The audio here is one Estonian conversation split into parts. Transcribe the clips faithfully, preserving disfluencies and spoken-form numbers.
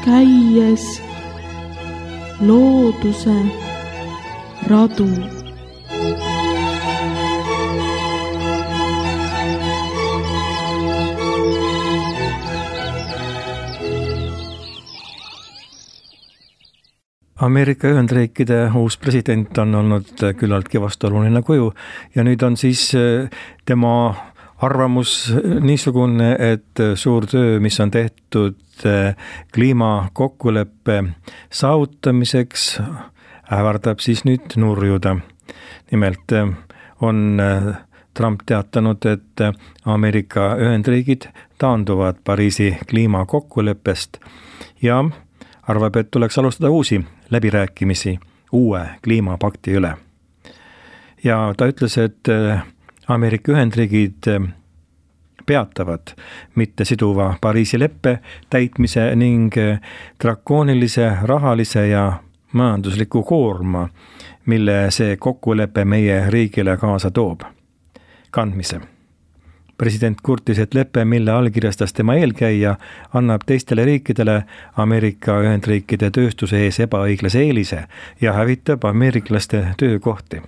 käies looduse radu. Ameerika Ühendriikide uus president on olnud küllaltki vastuoluline kuju ja nüüd on siis tema arvamus niisugune, et suur töö, mis on tehtud kliimakokkuleppe saavutamiseks, ähvardab siis nüüd nurjuda. Nimelt on Trump teatanud, et Ameerika Ühendriigid taanduvad Pariisi kliimakokkuleppest ja arvab, et tuleks alustada uusi läbirääkimisi uue kliimapakti üle. Ja ta ütles, et Ameerika Ühendriigid peatavad mitte siduva Pariisi leppe täitmise ning drakoonilise rahalise ja majandusliku koorma, mille see kokkulepe meie riigile kaasa toob, kandmise. President kurtis, et lepe, mille allkirjastas tema eelkäija, annab teistele riikidele Ameerika Ühendriikide tööstuse ees ebaõiglase eelise ja hävitab ameeriklaste töökohti.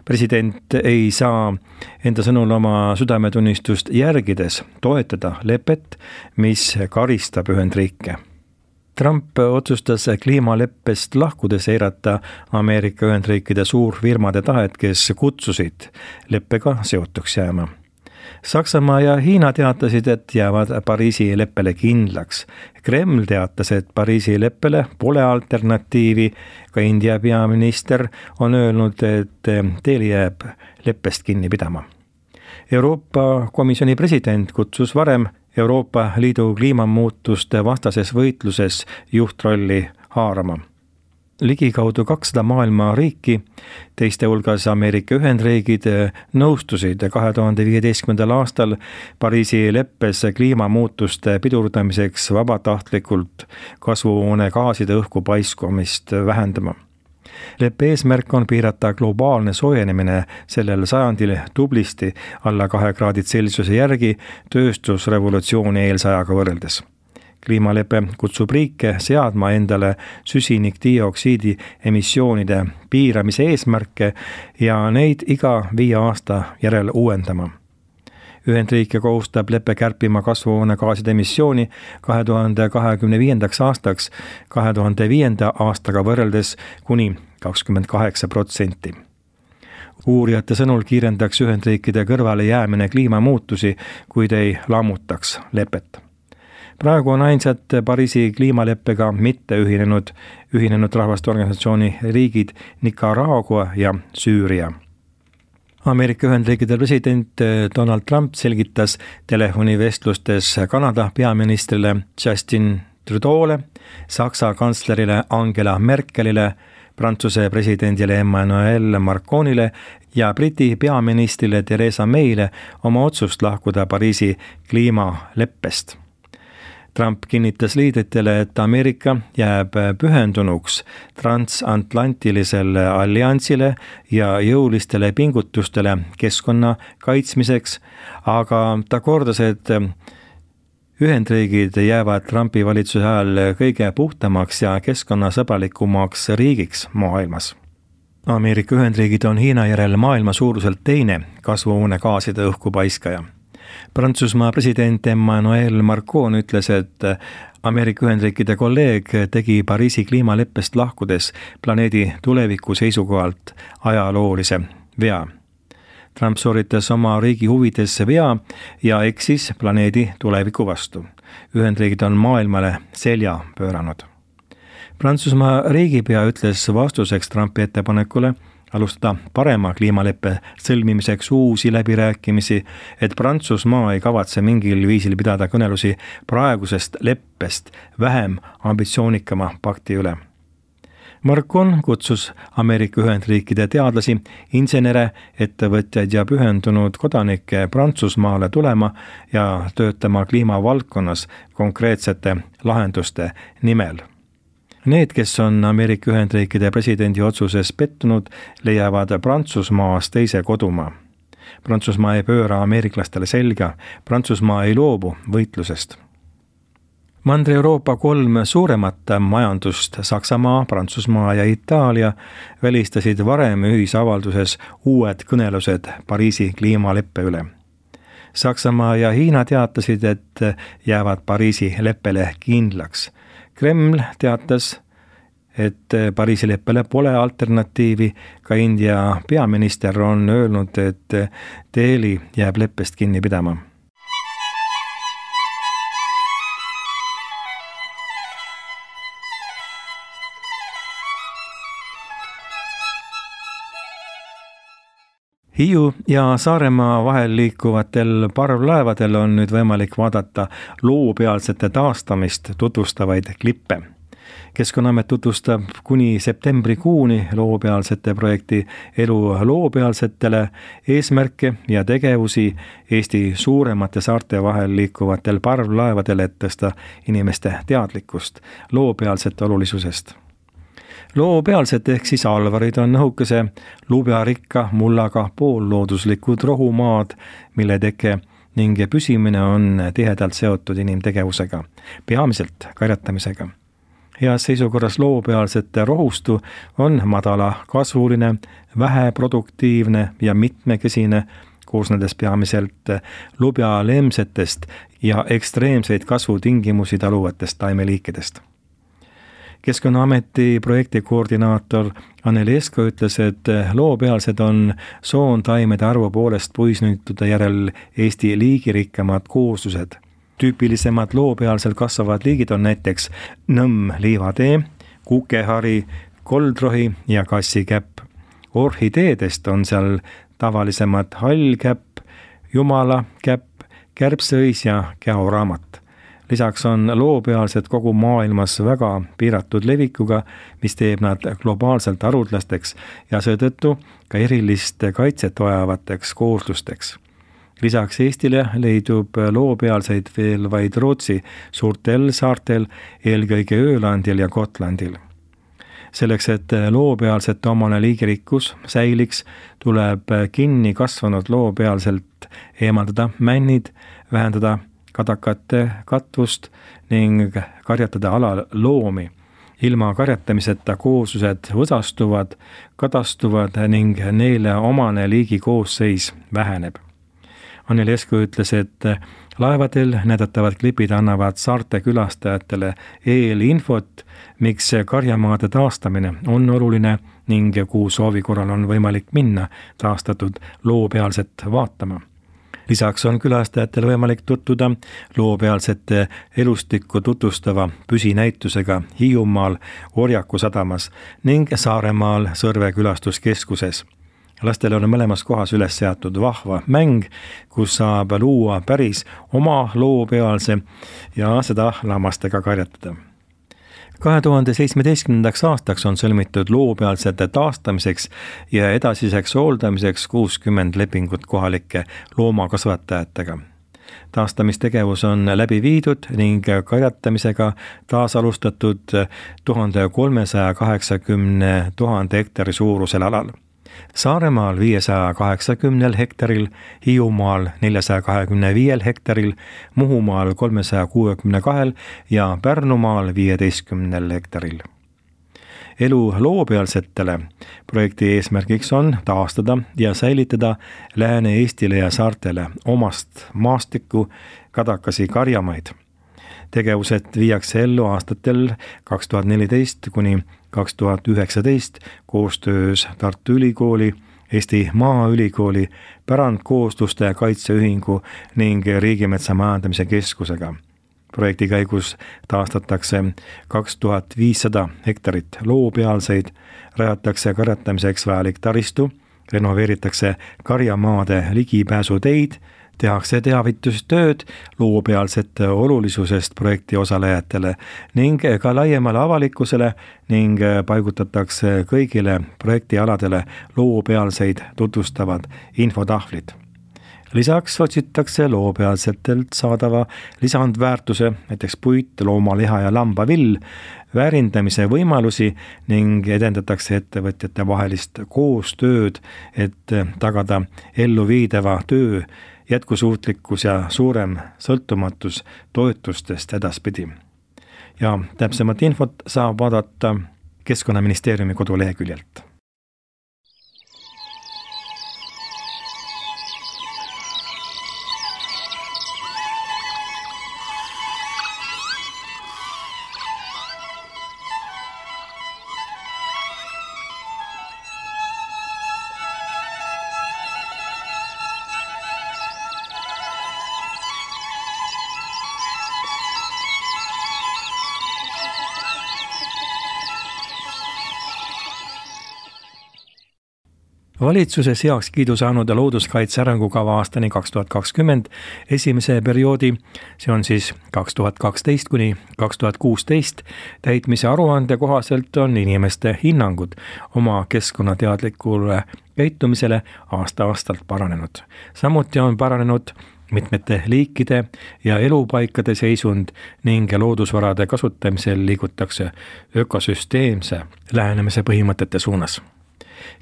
President ei saa enda sõnul oma südametunnistust järgides toetada lepet, mis karistab Ühendriike. Trump otsustas kliimaleppest lahkudes eirata Ameerika Ühendriikide suurfirmade tahet, kes kutsusid leppega seotuks jääma. Saksamaa ja Hiina teatasid, et jäävad Pariisi leppele kindlaks. Kreml teatas, et Pariisi leppele pole alternatiivi. Ka India peaminister on öelnud, et teil jääb leppest kinni pidama. Euroopa Komisjoni president kutsus varem Euroopa Liidu kliimamuutuste vastases võitluses juhtrolli haarama. Ligikaudu kakssada maailma riiki, teiste hulgas Ameerika Ühendriigid, nõustusid kahe tuhande viieteistkümnendal aastal Pariisi leppes kliimamuutuste pidurdamiseks vabatahtlikult kasvuhoonegaaside õhku paiskumist vähendama. Leppe eesmärk on piirata globaalne soojenemine sellel sajandil tublisti alla kahe kraadid Celsiuse järgi tööstusrevolutsiooni eelsajaga võrreldes. Kliimalepe kutsub riike seadma endale süsinikdioksiidi emissioonide piiramise eesmärke ja neid iga viie aasta järel uuendama. Ühendriike kohustab leppe kärpima kasvuhoonegaaside emissiooni kahe tuhande kahekümne viiendaks aastaks kahe tuhande viienda aastaga võrreldes kuni kakskümmend kaheksa protsenti. Uurijate sõnul kiirendaks Ühendriikide kõrvale jäämine kliimamuutusi, kuid ei lammutaks lepet. Praegu on ainsad Pariisi kliimaleppega mitte ühinenud, ühinenud rahvaste organisatsiooni riigid Nicaragua ja Süüria. Ameerika Ühendriikide president Donald Trump selgitas telefonivestlustes Kanada peaministrile Justin Trudeau'le, Saksa kantslerile Angela Merkelile, Prantsuse presidendile Emmanuel Macronile ja Briti peaministrile Theresa May'le oma otsust lahkuda Pariisi kliimaleppest. Trump kinnitas liidritele, et Ameerika jääb pühendunuks transatlantilisele alliansile ja jõulistele pingutustele keskkonna kaitsmiseks, aga ta kordas, et Ühendriigid jäävad Trumpi valitsuse ajal kõige puhtamaks ja keskkonnasõbralikumaks riigiks maailmas. Ameerika Ühendriigid on Hiina järel maailma suuruselt teine kasvuhoonegaaside õhku paiskaja. Prantsusmaa president Emmanuel Macron ütles, et Ameerika Ühendriikide kolleeg tegi Pariisi kliimaleppest lahkudes planeedi tuleviku seisukohalt ajaloolise vea. Trump sooritas oma riigi huvides vea ja eksis planeedi tuleviku vastu. Ühendriigid on maailmale selja pööranud. Prantsusmaa riigipea ütles vastuseks Trumpi ettepanekule alustada parema kliimaleppe sõlmimiseks uusi läbirääkimisi, et Prantsusmaa ei kavatse mingil viisil pidada kõnelusi praegusest leppest vähem ambitsioonikama pakti üle. Macron kutsus Ameerika Ühendriikide teadlasi, insenere, ettevõtjaid ja pühendunud kodanikke Prantsusmaale tulema ja töötama kliimavaldkonnas konkreetsete lahenduste nimel. Need, kes on Ameerika Ühendriikide presidendi otsuses pettunud, leiavad Prantsusmaas teise kodumaa. Prantsusmaa ei pööra ameeriklastele selga, Prantsusmaa ei loobu võitlusest. Mandri-Euroopa kolm suuremat majandust, Saksamaa, Prantsusmaa ja Itaalia, välistasid varem ühisavalduses uued kõnelused Pariisi kliimaleppe üle. Saksamaa ja Hiina teatasid, et jäävad Pariisi leppele kindlaks. Kreml teatas, et Pariisi leppele pole alternatiivi, ka India peaminister on öelnud, et Delhi jääb leppest kinni pidama. Hiiu ja Saaremaa vahel liikuvatel parvlaevadel on nüüd võimalik vaadata loopealsete taastamist tutvustavaid klippe. Keskkonnaamet tutvustab kuni septembrikuuni loopealsete projekti Elu loopealsetele eesmärke ja tegevusi Eesti suuremate saarte vahel liikuvatel parvlaevadel, et tõsta inimeste teadlikkust loopealsete olulisusest. Loopealsed ehk siis alvarid on õhukese lubjarikka mullaga poollooduslikud rohumaad, mille teke ning püsimine on tihedalt seotud inimtegevusega, peamiselt karjatamisega. Heas seisukorras loopealsete rohustu on madala kasvuline, väheproduktiivne ja mitmekesine, koosnedes peamiselt lubjalemsetest ja ekstreemseid kasvutingimusi taluvatest taimeliikidest. Keskkonnaameti projekti koordinaator Anneli Esko ütles, et loopealsed on soontaimede arvu poolest puisnüütude järel Eesti liigirikkamad kooslused. Tüüpilisemad loopealsel kasvavad liigid on näiteks nõmm liivatee, kukehari, koldrohi ja kassikäpp. Orhideedest on seal tavalisemad hallkäpp, jumalakäpp, kärbseõis ja käoraamat. Lisaks on loopealsed kogu maailmas väga piiratud levikuga, mis teeb nad globaalselt haruldasteks ja seetõttu ka erilist kaitset vajavateks kooslusteks. Lisaks Eestile leidub loopealseid veel vaid Rootsi suurtel saartel, eelkõige Öölandil ja Gotlandil. Selleks, et loopealsete omane liigirikkus säiliks, tuleb kinni kasvanud loopealselt eemaldada männid, vähendada kadakate katvust ning karjatada alal loomi. Ilma karjatamiseta kooslused võsastuvad, kadastuvad ning neile omane liigi koosseis väheneb. Anneli Esko ütles, et laevadel näidatavad klipid annavad saarte külastajatele eelinfot, miks karjamaade taastamine on oluline ning kuhu soovi korral on võimalik minna taastatud loopealset vaatama. Lisaks on külastajatel võimalik tutvuda loopealsete elustikku tutvustava püsinäitusega Hiiumaal Orjaku sadamas ning Saaremaal Sõrve külastuskeskuses. Lastele on mõlemas kohas üles seatud vahva mäng, kus saab luua päris oma loopealse ja seda lammastega karjatada. kahe tuhande seitsmeteistkümnendaks aastaks on sõlmitud loopealsete taastamiseks ja edasiseks hooldamiseks kuuskümmend lepingut kohalike loomakasvatajatega. Taastamistegevus on läbi viidud ning karjatamisega taas alustatud tuhande kolmesaja kaheksakümne tuhande hektari suurusel alal. Saaremaal viiesaja kaheksakümnel hektaril, Hiiumaal neljasaja kahekümne viiel hektaril, Muhumaal kolmesaja kuuekümne kahel ja Pärnumaal viieteistkümnel hektaril. Elu loopealsetele projekti eesmärgiks on taastada ja säilitada Lääne-Eestile ja saartele omast maastikku kadakasi karjamaid. Tegevused viiakse ellu aastatel kaks tuhat neliteist kuni kaks tuhat üheksateist koostöös Tartu Ülikooli, Eesti Maaülikooli, Pärandkoosluste Kaitseühingu ning Riigimetsa Majandamise Keskusega. Projekti käigus taastatakse kaks tuhat viissada hektarit loopealseid, rajatakse karjatamiseks vajalik taristu, renoveeritakse karjamaade ligipääsuteid, tehakse teavitustööd loopealsete olulisusest projekti osalejatele ning ka laiemale avalikkusele ning paigutatakse kõigile projektialadele loopealseid tutvustavad infotahvlid. Lisaks otsitakse loopealsetelt saadava lisandväärtuse, näiteks puit, loomaliha ja lambavill, väärindamise võimalusi ning edendatakse ettevõtjate vahelist koostööd, et tagada elluviidava töö jätkusuutlikkus ja suurem sõltumatus toetustest edaspidi. ja täpsemat infot saab vaadata Keskkonnaministeeriumi koduleheküljelt. Valitsuses heakskiidu saanud looduskaitse arengukava aastani kaks tuhat kakskümmend esimese perioodi, see on siis kaks tuhat kaksteist kuni kaks tuhat kuusteist, täitmise aruande kohaselt on inimeste hinnangud oma keskkonnateadlikule käitumisele aasta-aastalt paranenud. Samuti on paranenud mitmete liikide ja elupaikade seisund ning loodusvarade kasutamisel liigutakse ökosüsteemse lähenemise põhimõtete suunas.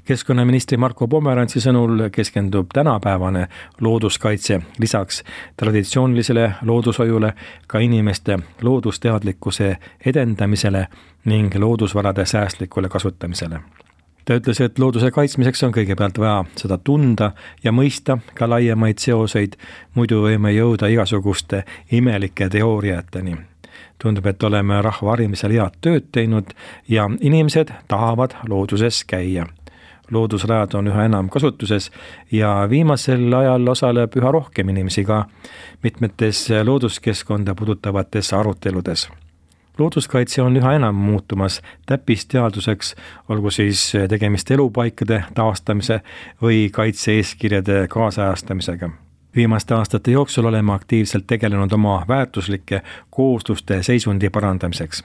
Keskkonnaministri Marko Pomerantsi sõnul keskendub tänapäevane looduskaitse lisaks traditsioonilisele loodushoiule ka inimeste loodusteadlikkuse edendamisele ning loodusvarade säästlikule kasutamisele. Ta ütles, et looduse kaitsmiseks on kõigepealt vaja seda tunda ja mõista ka laiemaid seoseid, muidu võime jõuda igasuguste imelike teooriateni. Tundub, et oleme rahva harimisel head tööd teinud ja inimesed tahavad looduses käia. Loodusrajad on üha enam kasutuses ja viimasel ajal osaleb üha rohkem inimesi ka mitmetes looduskeskkonda puudutavates aruteludes. Looduskaitse on üha enam muutumas täppisteaduseks, olgu siis tegemist elupaikade taastamise või kaitse-eeskirjade kaasajastamisega. Viimaste aastate jooksul oleme aktiivselt tegelenud oma väärtuslike koosluste seisundi parandamiseks.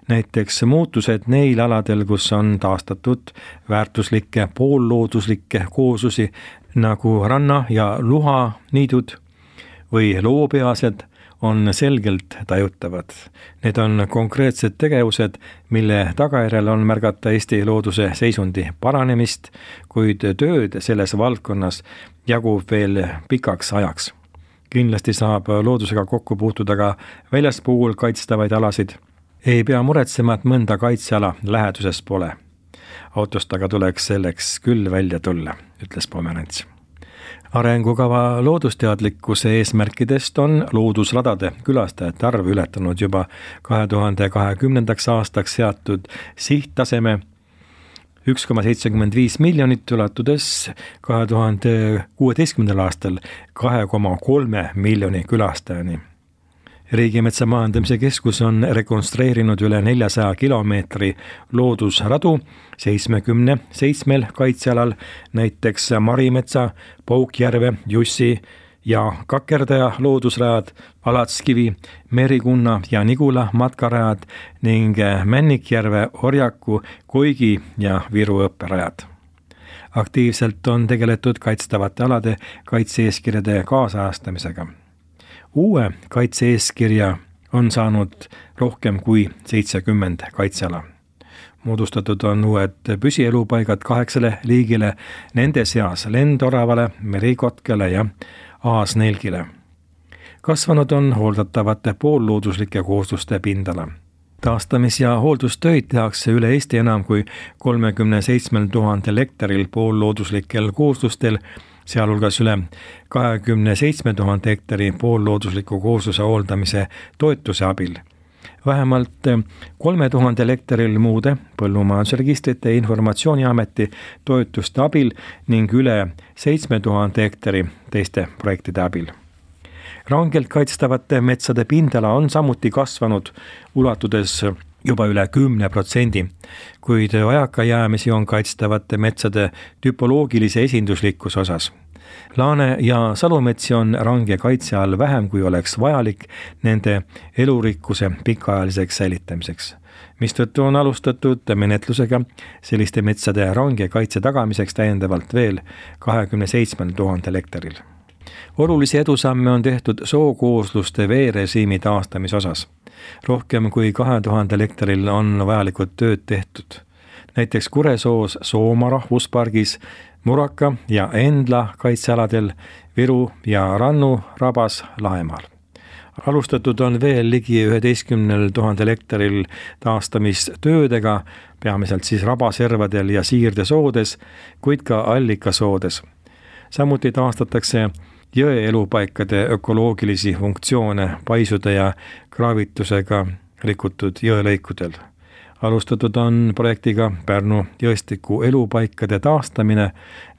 Näiteks muutused neil aladel, kus on taastatud väärtuslikke poollooduslikke kooslusi nagu ranna- ja luhaniidud või loopeased on selgelt tajutavad. Need on konkreetsed tegevused, mille tagajärjel on märgata Eesti looduse seisundi paranemist, kuid tööd selles valdkonnas jagub veel pikaks ajaks. Kindlasti saab loodusega kokku puutuda ka väljaspool kaitstavaid alasid. Ei pea muretsema, et mõnda kaitseala läheduses pole. Autost aga tuleks selleks küll välja tulla, ütles Pomerants. Arengukava loodusteadlikkuse eesmärkidest on loodusradade külastajate arv ületanud juba kahe tuhande kahekümnendaks aastaks seatud sihttaseme üks koma seitsekümmend viis miljonit, ulatudes kahe tuhande kuueteistkümnendal aastal kahe koma kolme miljoni külastajani. Riigimetsa majandamise keskus on rekonstrueerinud üle neljasaja kilomeetri loodusradu seitsmekümne seitsmel kaitsealal, näiteks Marimetsa, Paukjärve, Jussi ja Kakerdaja loodusrajad, Alatskivi, Merikunna ja Nigula matkarajad ning Männikjärve, Orjaku, Koigi ja Viru õpperajad. Aktiivselt on tegeletud kaitstavate alade kaitse-eeskirjade kaasajastamisega. Uue kaitse-eeskirja on saanud rohkem kui seitsekümmend kaitseala. Moodustatud on uued püsielupaigad kaheksale liigile, nende seas lendoravale, merikotkele ja aasnelgile. Kasvanud on hooldatavate poollooduslikke koosluste pindala. Taastamis- ja hooldustöid tehakse üle Eesti enam kui kolmekümne seitsmel tuhandel hektaril poollooduslikel kooslustel, sealhulgas üle kahekümne seitsme tuhande hektari poolloodusliku koosluse hooldamise toetuse abil. Vähemalt kolme tuhandel hektaril muude põllumajandusregistrite informatsiooniameti toetuste abil ning üle seitsme tuhande hektari teiste projektide abil. Rangelt kaitstavate metsade pindala on samuti kasvanud, ulatudes juba üle kümne protsendi, kuid vajakajäämisi on kaitstavate metsade tüpoloogilise esinduslikkuse osas. Laane- ja salumetsi on range kaitse all vähem, kui oleks vajalik nende elurikkuse pikaajaliseks säilitamiseks, mistõttu on alustatud menetlusega selliste metsade range kaitse tagamiseks täiendavalt veel kahekümne seitsmel tuhandel hektaril. Olulisi edusamme on tehtud sookoosluste veerežiimi taastamise osas. Rohkem kui kahe tuhandel hektaril on vajalikud tööd tehtud. Näiteks Kuresoos Sooma rahvuspargis, Muraka ja Endla kaitsealadel, Viru ja Rannu rabas Laemaal. Alustatud on veel ligi üheteistkümnel tuhandel hektaril taastamistöödega, peamiselt siis rabaservadel ja siirdesoodes, kuid ka allikasoodes. Samuti taastatakse jõe elupaikade ökoloogilisi funktsioone paisude ja kraavitusega rikutud jõelõikudel. Alustatud on projektiga Pärnu jõestiku elupaikade taastamine,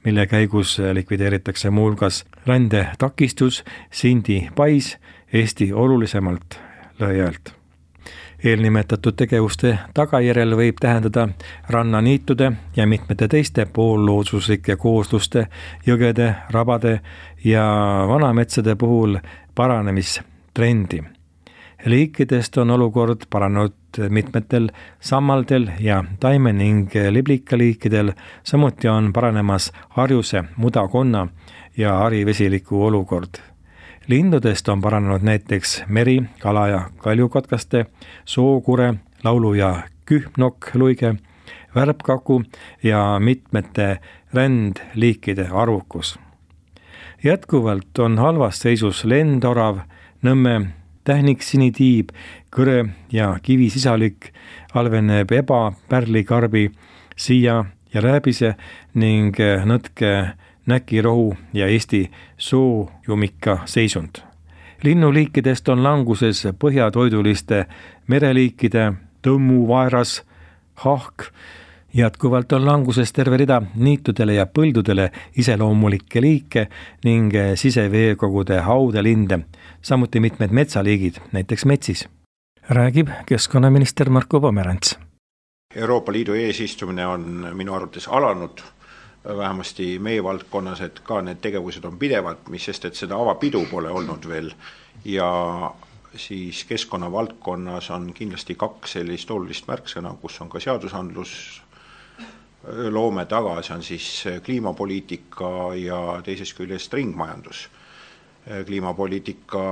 mille käigus likvideeritakse muuhulgas rändetakistus Sindi pais Eesti olulisemalt lõhjalt. Eelnimetatud tegevuste tagajärjel võib tähendada rannaniitude ja mitmete teiste poollooduslike koosluste, jõgede, rabade ja vanametsade puhul paranemistrendi. Liikidest on olukord paranenud mitmetel sammaldel ja taime- ning liblikaliikidel, samuti on paranemas harjuse, mudakonna ja harivesiliku olukord. Lindudest on paranenud näiteks meri, kala- ja kaljukotkaste, sookure, laulu- ja kühnokk-luige, värbkaku ja mitmete rändliikide arvukus. Jätkuvalt on halvas seisus lendorav, Nõmme tähnik sinitiib, kõre ja kivisisalik, halveneb eba, pärlikarbi, siia ja rääbise ning nõtke näkirohu ja Eesti soojumika seisund. Linnuliikidest on languses põhjatoiduliste mereliikide, tõmmu, vaeras, hahk. Jätkuvalt on languses terve rida niitudele ja põldudele iseloomulikke liike ning siseveekogude haudelinde, samuti mitmed metsaliigid, näiteks metsis. Räägib keskkonnaminister Marko Pomerants. Euroopa Liidu eesistumine on minu arvates alanud, vähemasti meie valdkonnas, et ka need tegevused on pidevad, mis sest, et seda avapidu pole olnud veel. Ja siis keskkonna valdkonnas on kindlasti kaks sellist olulist märksõna, kus on ka seadusandlus loome taga, see on siis kliimapoliitika ja teisest küljest ringmajandus. Kliimapoliitika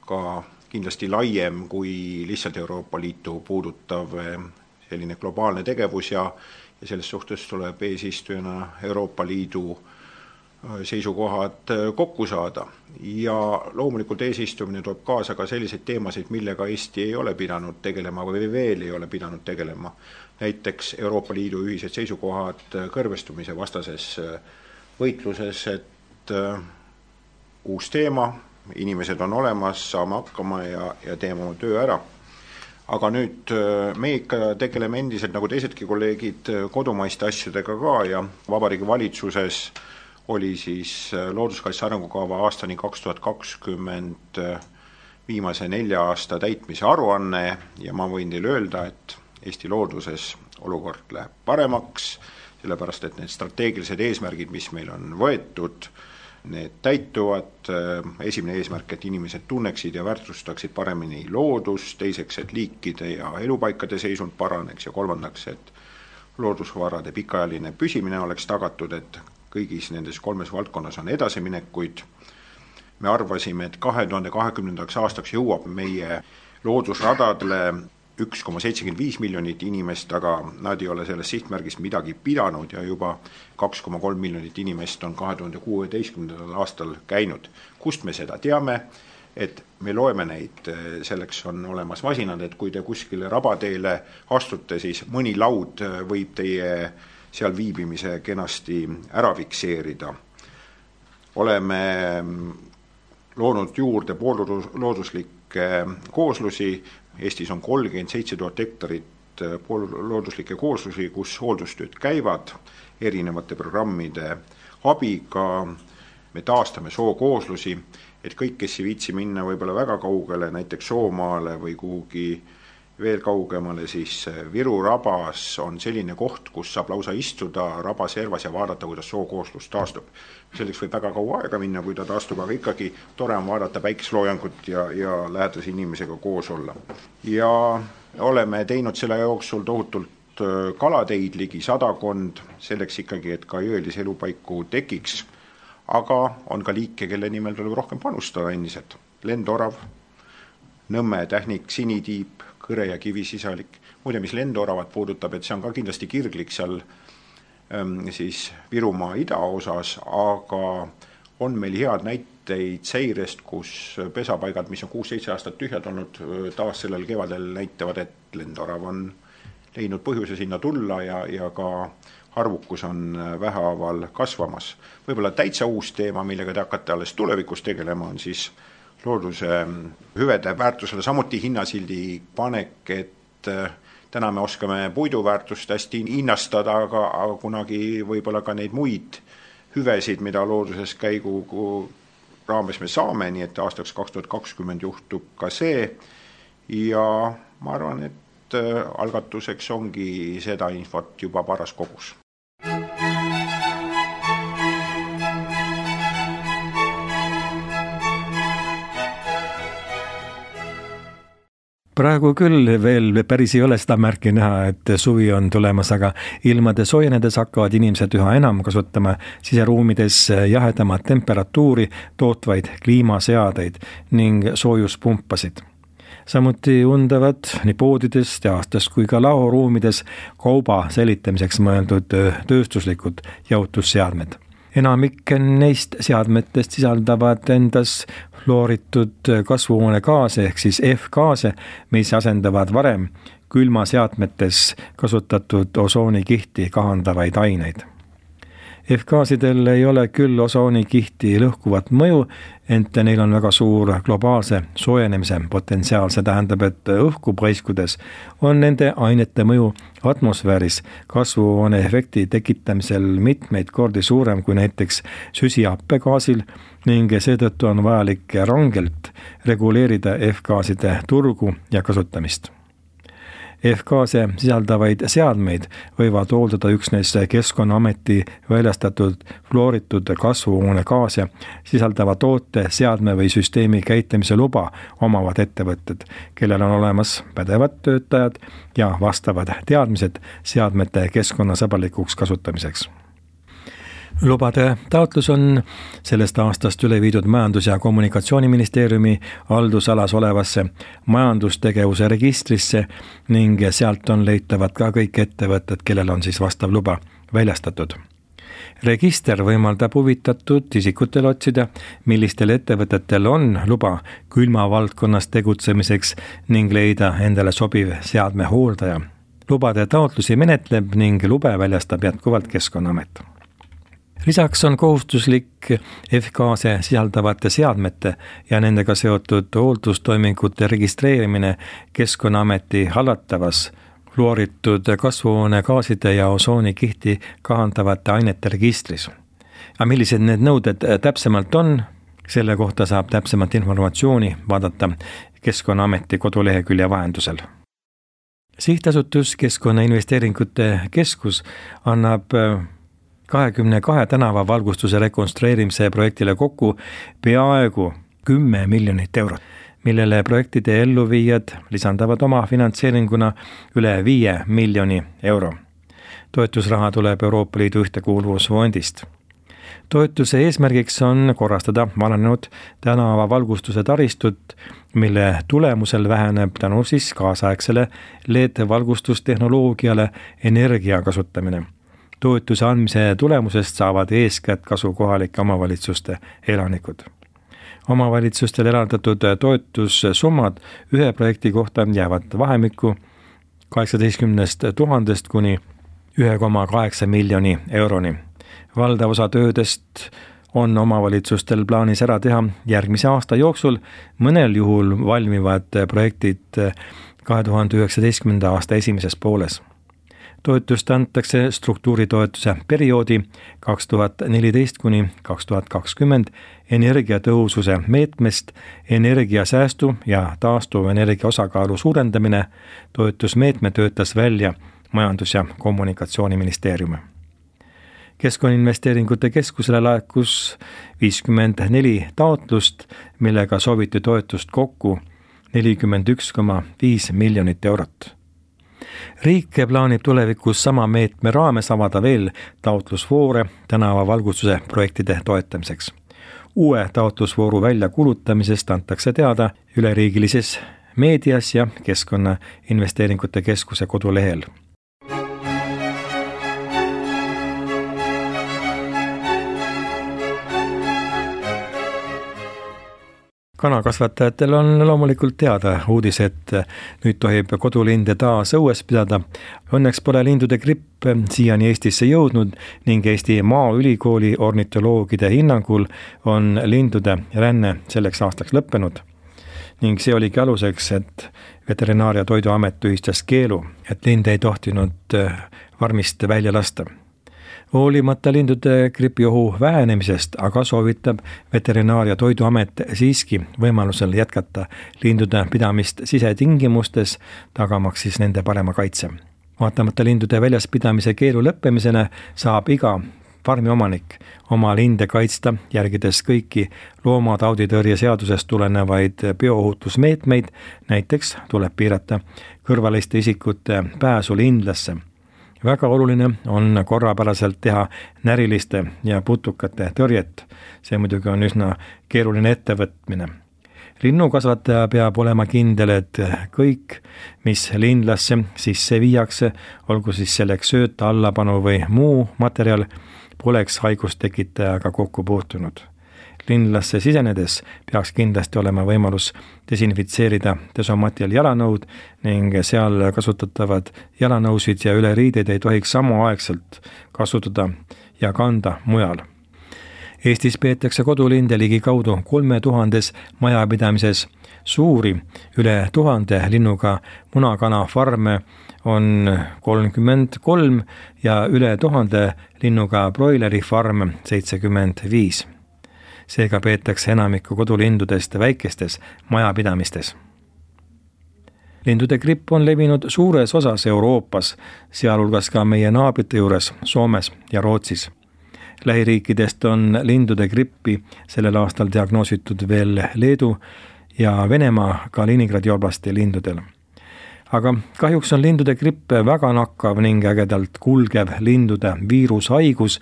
ka kindlasti laiem kui lihtsalt Euroopa Liitu puudutav selline globaalne tegevus ja, ja selles suhtes tuleb eesistujana Euroopa Liidu seisukohad kokku saada. Ja loomulikult eesistumine toob kaasa ka selliseid teemasid, millega Eesti ei ole pidanud tegelema või veel ei ole pidanud tegelema. Näiteks Euroopa Liidu ühised seisukohad kõrvestumise vastases võitluses, et uus teema, inimesed on olemas, saame hakkama ja, ja teeme oma töö ära. Aga nüüd me ikka tegeleme endiselt nagu teisedki kolleegid kodumaiste asjadega ka ja Vabariigi Valitsuses oli siis looduskaitse arengukava aastani kaks tuhat kakskümmend viimase nelja aasta täitmise aruanne ja ma võin teile öelda, et Eesti looduses olukord läheb paremaks, sellepärast et need strateegilised eesmärgid, mis meil on võetud, need täituvad. Esimene eesmärk, et inimesed tunneksid ja väärtustaksid paremini loodust, teiseks, et liikide ja elupaikade seisund paraneks ja kolmandaks, et loodusvarade pikaajaline püsimine oleks tagatud, et kõigis nendes kolmes valdkonnas on edasiminekuid. Me arvasime, et kahe tuhande kahekümnendaks aastaks jõuab meie loodusradadele üks koma seitsekümmend viis miljonit inimest, aga nad ei ole sellest sihtmärgist midagi pidanud ja juba kaks koma kolm miljonit inimest on kahe tuhande kuueteistkümnendal aastal käinud. Kust me seda teame? Et me loeme neid, selleks on olemas masinad, et kui te kuskile rabateele astute, siis mõni laud võib teie seal viibimise kenasti ära fikseerida. Oleme loonud juurde poollooduslikke kooslusi. Eestis on kolmkümmend seitse tuhat hektarit poollooduslikke kooslusi, kus hooldustööd käivad erinevate programmide abiga. Me taastame sookooslusi, et kõik, kes ei viitsi minna võib-olla väga kaugele, näiteks Soomaale või kuhugi veel kaugemale, siis Viru rabas on selline koht, kus saab lausa istuda rabaservas ja vaadata, kuidas sookooslus taastub. Selleks võib väga kaua aega minna, kui ta taastub, aga ikkagi tore on vaadata päikesloojangut ja, ja lähedase inimesega koos olla. Ja oleme teinud selle jooksul tohutult kalateid ligi sadakond, selleks ikkagi, et ka jõelise elupaiku tekiks, aga on ka liike, kelle nimel tuleb rohkem panustada endiselt. Lendorav, Nõmme tähnik, sinitiib, kõre ja kivisisalik. Muide, mis lendoravat puudutab, et see on ka kindlasti kirglik seal ähm, siis Virumaa idaosas, aga on meil head näit- näiteid seirest, kus pesapaigad, mis on kuus-seitse aastat tühjad olnud, taas sellel kevadel näitavad, et lendorav on leidnud põhjuse sinna tulla ja, ja ka arvukus on vähehaaval kasvamas. Võib-olla täitsa uus teema, millega te hakkate alles tulevikus tegelema, on siis looduse hüvede väärtusele samuti hinnasildi panek, et täna me oskame puiduväärtust hästi hinnastada, aga, aga kunagi võib-olla ka neid muid hüvesid, mida looduses käigu raames me saame, nii et aastaks kaks tuhat kakskümmend juhtub ka see. Ja ma arvan, et algatuseks ongi seda infot juba paras kogus. Praegu küll veel päris ei ole seda märki näha, et suvi on tulemas, aga ilmade soojenedes hakkavad inimesed üha enam kasutama siseruumides jahedamat temperatuuri tootvaid kliimaseadeid ning soojuspumpasid. Samuti undavad nii poodides, teastes kui ka laoruumides kauba säilitamiseks mõeldud tööstuslikud jahutusseadmed. Enamik neist seadmetest sisaldavad endas fluoritud kasvuhoonegaase ehk siis F-gaase, mis asendavad varem külmaseadmetes kasutatud osoonikihti kahandavaid aineid. F-gaasidel ei ole küll osoonikihti lõhkuvat mõju, ent neil on väga suur globaalse soojenemise potentsiaal. See tähendab, et õhku paiskudes on nende ainete mõju atmosfääris kasvuhooneefekti tekitamisel mitmeid kordi suurem kui näiteks süsihappegaasil ning seetõttu on vajalik rangelt reguleerida F-gaaside turgu ja kasutamist. F-gaase sisaldavaid seadmeid võivad hooldada üksnes Keskkonnaameti väljastatud fluoritud kasvuhoonegaase sisaldava toote, seadme või süsteemi käitlemise luba omavad ettevõtted, kellel on olemas pädevad töötajad ja vastavad teadmised seadmete keskkonnasõbralikuks kasutamiseks. Lubade taotlus on sellest aastast üle viidud Majandus- ja Kommunikatsiooniministeeriumi haldusalas olevasse majandustegevuse registrisse ning sealt on leitavad ka kõik ettevõtted, kellel on siis vastav luba väljastatud. Register võimaldab huvitatud isikutel otsida, millistel ettevõtetel on luba külma valdkonnas tegutsemiseks ning leida endale sobiv seadme hooldaja. Lubade taotlusi menetleb ning lube väljastab jätkuvalt Keskkonnaamet. Lisaks on kohustuslik F-gaase sisaldavate seadmete ja nendega seotud hooldustoimingute registreerimine Keskkonnaameti hallatavas fluoritud kasvuhoonegaaside ja osoonikihti kahandavate ainete registris. Aga millised need nõuded täpsemalt on, selle kohta saab täpsemalt informatsiooni vaadata Keskkonnaameti kodulehekülje vahendusel. Sihtasutus Keskkonnainvesteeringute Keskus annab kahekümne kahe tänava valgustuse rekonstrueerimise projektile kokku peaaegu kümme miljonit eurot, millele projektide elluviijad lisandavad oma finantseeringuna üle viie miljoni euro. Toetusraha tuleb Euroopa Liidu ühtekuuluvusfondist. Toetuse eesmärgiks on korrastada vananenud tänava valgustuse taristut, mille tulemusel väheneb tänu siis kaasaegsele L E D-valgustustehnoloogiale energia kasutamine. Toetuse andmise tulemusest saavad eeskätt kasu kohalike omavalitsuste elanikud. Omavalitsustel eraldatud toetussummad ühe projekti kohta jäävad vahemikku kaheksateistkümnest tuhandest kuni ühe koma kaheksa miljoni euroni. Valdav osa töödest on omavalitsustel plaanis ära teha järgmise aasta jooksul, mõnel juhul valmivad projektid kahe tuhande üheksateistkümnenda aasta esimeses pooles. Toetust antakse struktuuritoetuse perioodi kaks tuhat neliteist kuni kaks tuhat kakskümmend energiatõhususe meetmest energiasäästu ja taastuv energia osakaalu suurendamine. Toetusmeetme töötas välja Majandus- ja Kommunikatsiooniministeerium. Keskkonnainvesteeringute Keskusele laekus viiskümmend neli taotlust, millega sooviti toetust kokku nelikümmend üks koma viis miljonit eurot. Riik plaanib tulevikus sama meetme raames avada veel taotlusvoore tänava valgustuse projektide toetamiseks. Uue taotlusvooru väljakuulutamisest antakse teada üleriigilises meedias ja Keskkonnainvesteeringute Keskuse kodulehel. Kanakasvatajatel on loomulikult teada uudis, et nüüd tohib kodulinde taas õues pidada. Õnneks pole lindude gripp siiani Eestisse jõudnud ning Eesti Maaülikooli ornitoloogide hinnangul on lindude ränne selleks aastaks lõppenud. Ning see oligi aluseks, et Veterinaar- ja Toiduamet tühistas keelu, et linde ei tohtinud farmist välja lasta. Hoolimata lindude gripiohu vähenemisest, aga soovitab Veterinaar- ja Toiduamet siiski võimalusel jätkata lindude pidamist sisetingimustes, tagamaks siis nende parema kaitse. Vaatamata lindude väljas pidamise keelu lõppemisena saab iga farmiomanik oma linde kaitsta, järgides kõiki loomatauditõrje seadusest tulenevaid bioohutusmeetmeid, näiteks tuleb piirata kõrvaliste isikute pääsu lindlasse. Väga oluline on korrapäraselt teha näriliste ja putukate tõrjet. See muidugi on üsna keeruline ettevõtmine. Linnukasvataja peab olema kindel, et kõik, mis lindlasse sisse viiakse, olgu siis selleks sööt, allapanu või muu materjal, poleks haigustekitajaga kokku puutunud. Lindlasse sisenedes peaks kindlasti olema võimalus desinfitseerida desomatil jalanõud ning seal kasutatavad jalanõusid ja üleriideid ei tohiks samaaegselt kasutada ja kanda mujal. Eestis peetakse kodulinde ligi kaudu kolme tuhandes majapidamises. Suuri üle tuhande linnuga munakana farme on kolmkümmend kolm ja üle tuhande linnuga broileri farm seitsekümmend viis. Seega peetakse enamikku kodulindudest väikestes majapidamistes. Lindude gripp on levinud suures osas Euroopas, sealhulgas ka meie naabrite juures Soomes ja Rootsis. Lähiriikidest on lindude grippi sellel aastal diagnoositud veel Leedu ja Venemaa Kaliningradi oblasti lindudel. Aga kahjuks on lindude gripp väga nakkav ning ägedalt kulgev lindude viirushaigus,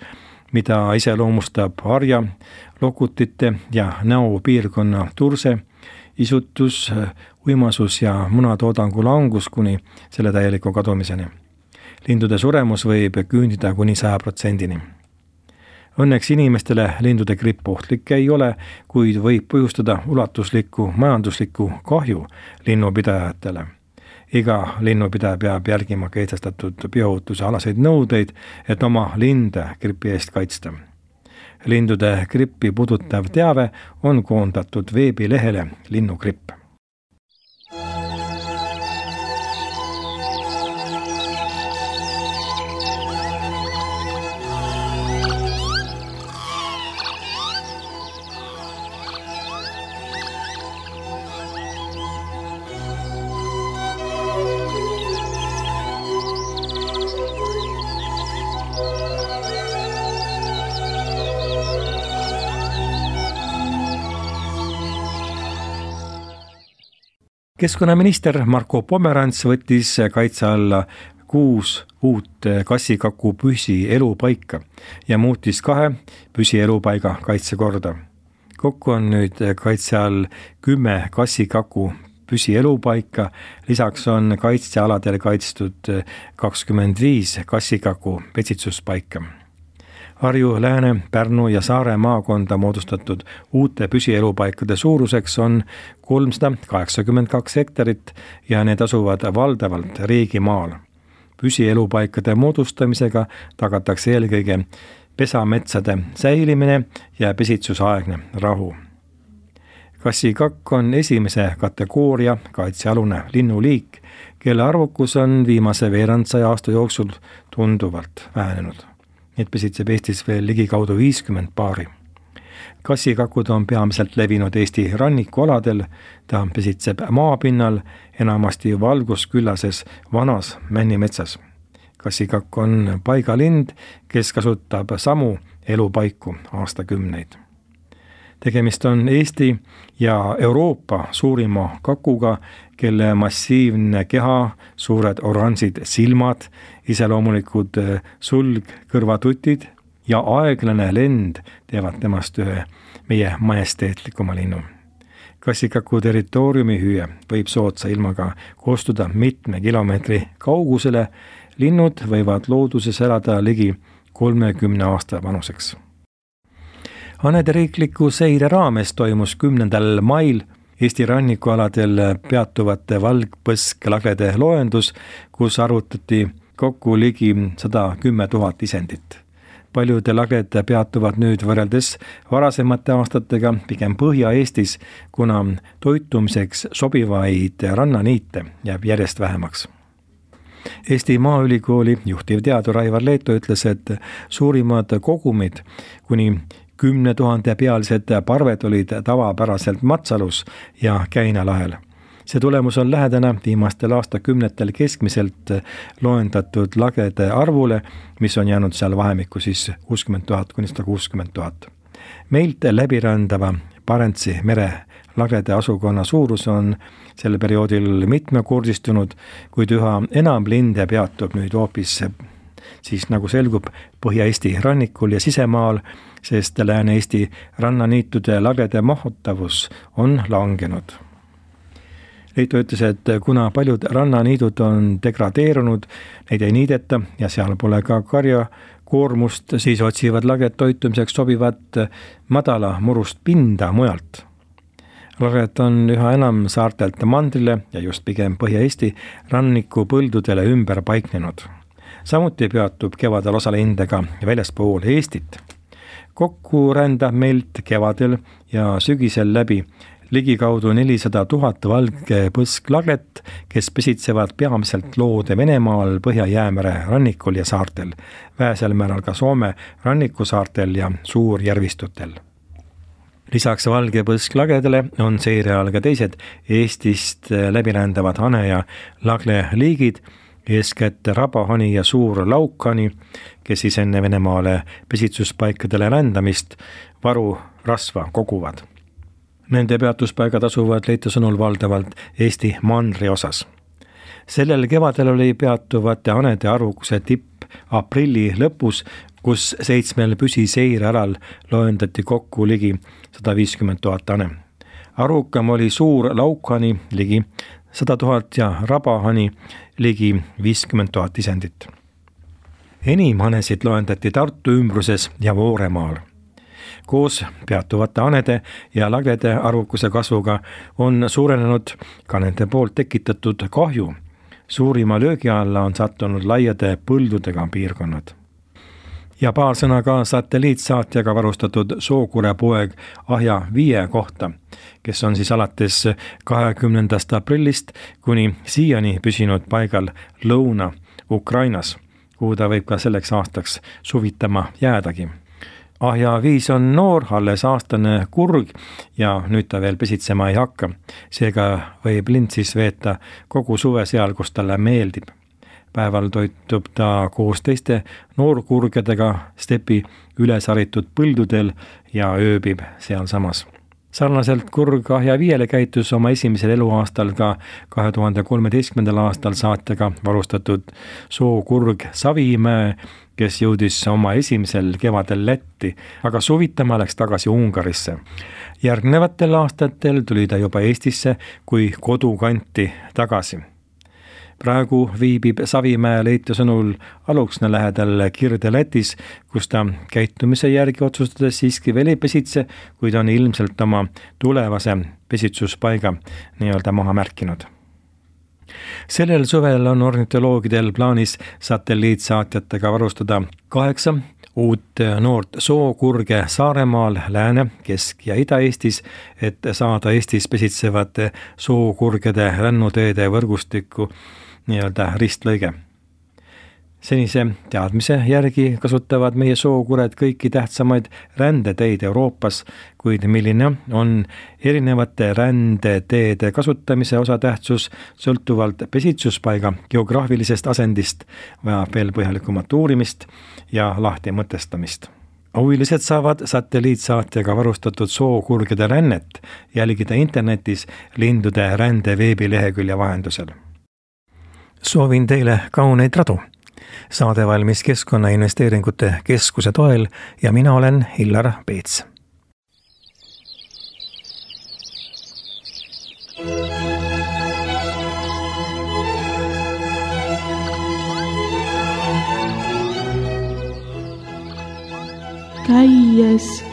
mida iseloomustab harja, lokutite ja näopiirkonna turse, isutus, uimasus ja munatoodangu langus kuni selle täieliku kadumiseni. Lindude suremus võib küündida kuni saja protsendini. Õnneks inimestele lindude gripp ohtlik ei ole, kuid võib põhjustada ulatuslikku majanduslikku kahju linnupidajatele. Iga linnupidaja peab järgima kehtestatud bioohutuse alaseid nõudeid, et oma linde gripi eest kaitsta. Lindude grippi puudutav teave on koondatud veebilehele Linnugripp. Keskkonnaminister Marko Pomerants võttis kaitse alla kuus uut kassikaku püsielupaika ja muutis kahe püsielupaiga kaitsekorda. Kokku on nüüd kaitse all kümme kassikaku püsielupaika, lisaks on kaitsealadel kaitstud kakskümmend viis kassikaku petsitsuspaika. Harju, Lääne, Pärnu ja Saare maakonda moodustatud uute püsielupaikade suuruseks on kolmsada kaheksakümmend kaks hektarit ja need asuvad valdavalt riigimaal. Püsielupaikade moodustamisega tagatakse eelkõige pesametsade säilimine ja pesitsusaegne rahu. Kassikakk on esimese kategooria kaitsealune linnuliik, kelle arvukus on viimase veerandsaja aasta jooksul tunduvalt vähenenud. Need pesitseb Eestis veel ligikaudu viiskümmend paari. Kassikakud on peamiselt levinud Eesti rannikualadel, ta pesitseb maapinnal, enamasti valgusküllases vanas männimetsas. Kassikakk on paigalind, kes kasutab samu elupaiku aastakümneid. Tegemist on Eesti ja Euroopa suurima kakuga, kelle massiivne keha, suured oranžid silmad, iseloomulikud sulg, kõrvatutid ja aeglane lend teevad temast ühe meie majesteetlikuma linnu. Kassikaku territooriumi hüüe võib soodsa ilmaga koostuda mitme kilomeetri kaugusele, linnud võivad looduses elada ligi kolmekümne aasta vanuseks. Hanede riikliku seire raames toimus kümnendal mail Eesti rannikualadel peatuvate valgpõsklaglede loendus, kus arvutati kokku ligi sada kümme tuhat isendit. Paljud lagled peatuvad nüüd võrreldes varasemate aastatega pigem Põhja-Eestis, kuna toitumiseks sobivaid rannaniite jääb järjest vähemaks. Eesti Maaülikooli juhtivteadur Aivar Leeto ütles, et suurimad kogumid kuni kümne tuhande pealised parved olid tavapäraselt Matsalus ja Käinalahel. See tulemus on lähedane viimastel aastakümnetel keskmiselt loendatud lagede arvule, mis on jäänud seal vahemikku siis kuuskümmend tuhat kuni sada kuuskümmend tuhat. Meilt läbirändava Barentsi mere laglede asukonna suurus on sel perioodil mitmekordistunud, kuid üha enam linde peatub nüüd hoopis siis nagu selgub Põhja-Eesti rannikul ja sisemaal, sest Lääne-Eesti rannaniitude laglede mahutavus on langenud. Leito ütles, et kuna paljud rannaniidud on degradeerunud, neid ei niideta ja seal pole ka karja koormust, siis otsivad laged toitumiseks sobivat madala murust pinda mujalt. Laged on üha enam saartelt mandrile ja just pigem Põhja-Eesti ranniku põldudele ümber paiknenud. Samuti peatub kevadel osa linde ka väljaspool Eestit. Kokku rändab meilt kevadel ja sügisel läbi ligikaudu nelisada tuhat valgpõsklaglet, kes pesitsevad peamiselt loode Venemaal, Põhja-Jäämere rannikul ja saartel, vähesel määral ka Soome rannikusaartel ja suurjärvistutel. Lisaks valgepõsklagedele on seire all ka teised Eestist läbirändavad hane- ja lagle liigid, eeskätt rabahani ja suur laukhani, kes siis enne Venemaale pesitsuspaikadele rändamist varu rasva koguvad. Nende peatuspaigad asuvad Leito sõnul valdavalt Eesti mandri osas. Sellel kevadel oli peatuvate hanede arvukuse tipp aprilli lõpus, kus seitsmel püsiseirealal loendati kokku ligi sada viiskümmend tuhat hane. Arvukam oli suur laukhani ligi sada tuhat ja rabahani ligi viiskümmend tuhat isendit. Enim hanesid loendati Tartu ümbruses ja Vooremaal. Koos peatuvate hanede ja laglede arvukuse kasvuga on suurenenud ka nende poolt tekitatud kahju. Suurima löögi alla on sattunud laiade põldudega piirkonnad. Ja paar sõna ka satelliitsaatjaga varustatud Sookure poeg Ahja viie kohta, kes on siis alates kahekümnendast aprillist kuni siiani püsinud paigal Lõuna-Ukrainas, kuhu ta võib ka selleks aastaks suvitama jäädagi. Ahja viis on noor, alles aastane kurg ja nüüd ta veel pesitsema ei hakka. Seega võib lind siis veeta kogu suve seal, kus talle meeldib. Päeval toitub ta koos teiste noorkurgedega stepi ülesaritud põldudel ja ööbib seal samas. Sarnaselt kurg Ahja viiele käitus oma esimesel eluaastal ka kahe tuhande kolmeteistkümnendal aastal saatjaga varustatud sookurg Savimäe, kes jõudis oma esimesel kevadel Lätti, aga suvitama läks tagasi Ungarisse. Järgnevatel aastatel tuli ta juba Eestisse kui kodukanti tagasi. Praegu viibib Savimäe Leito sõnul Aluksna lähedal Kirde-Lätis, kus ta käitumise järgi otsustades siiski veel ei pesitse, kuid on ilmselt oma tulevase pesitsuspaiga nii-öelda maha märkinud. Sellel suvel on ornitoloogidel plaanis satelliitsaatjatega varustada kaheksa uut noort sookurge Saaremaal, Lääne-, Kesk- ja Ida-Eestis, et saada Eestis pesitsevate sookurgede rännuteede võrgustikku nii-öelda ristlõige. Senise teadmise järgi kasutavad meie sookured kõiki tähtsamaid rändeteid Euroopas, kuid milline on erinevate rändeteede kasutamise osatähtsus sõltuvalt pesitsuspaiga geograafilisest asendist, vajab veel põhjalikumat uurimist ja lahti mõtestamist. Huvilised saavad satelliitsaatjaga varustatud sookurgede rännet jälgida internetis lindude rände veebilehekülje vahendusel. Soovin teile kauneid radu. Saade valmis Keskkonnainvesteeringute Keskuse toel ja mina olen Hillar Peets. käies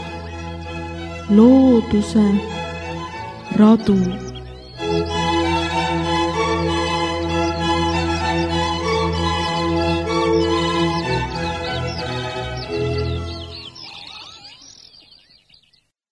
looduse radu.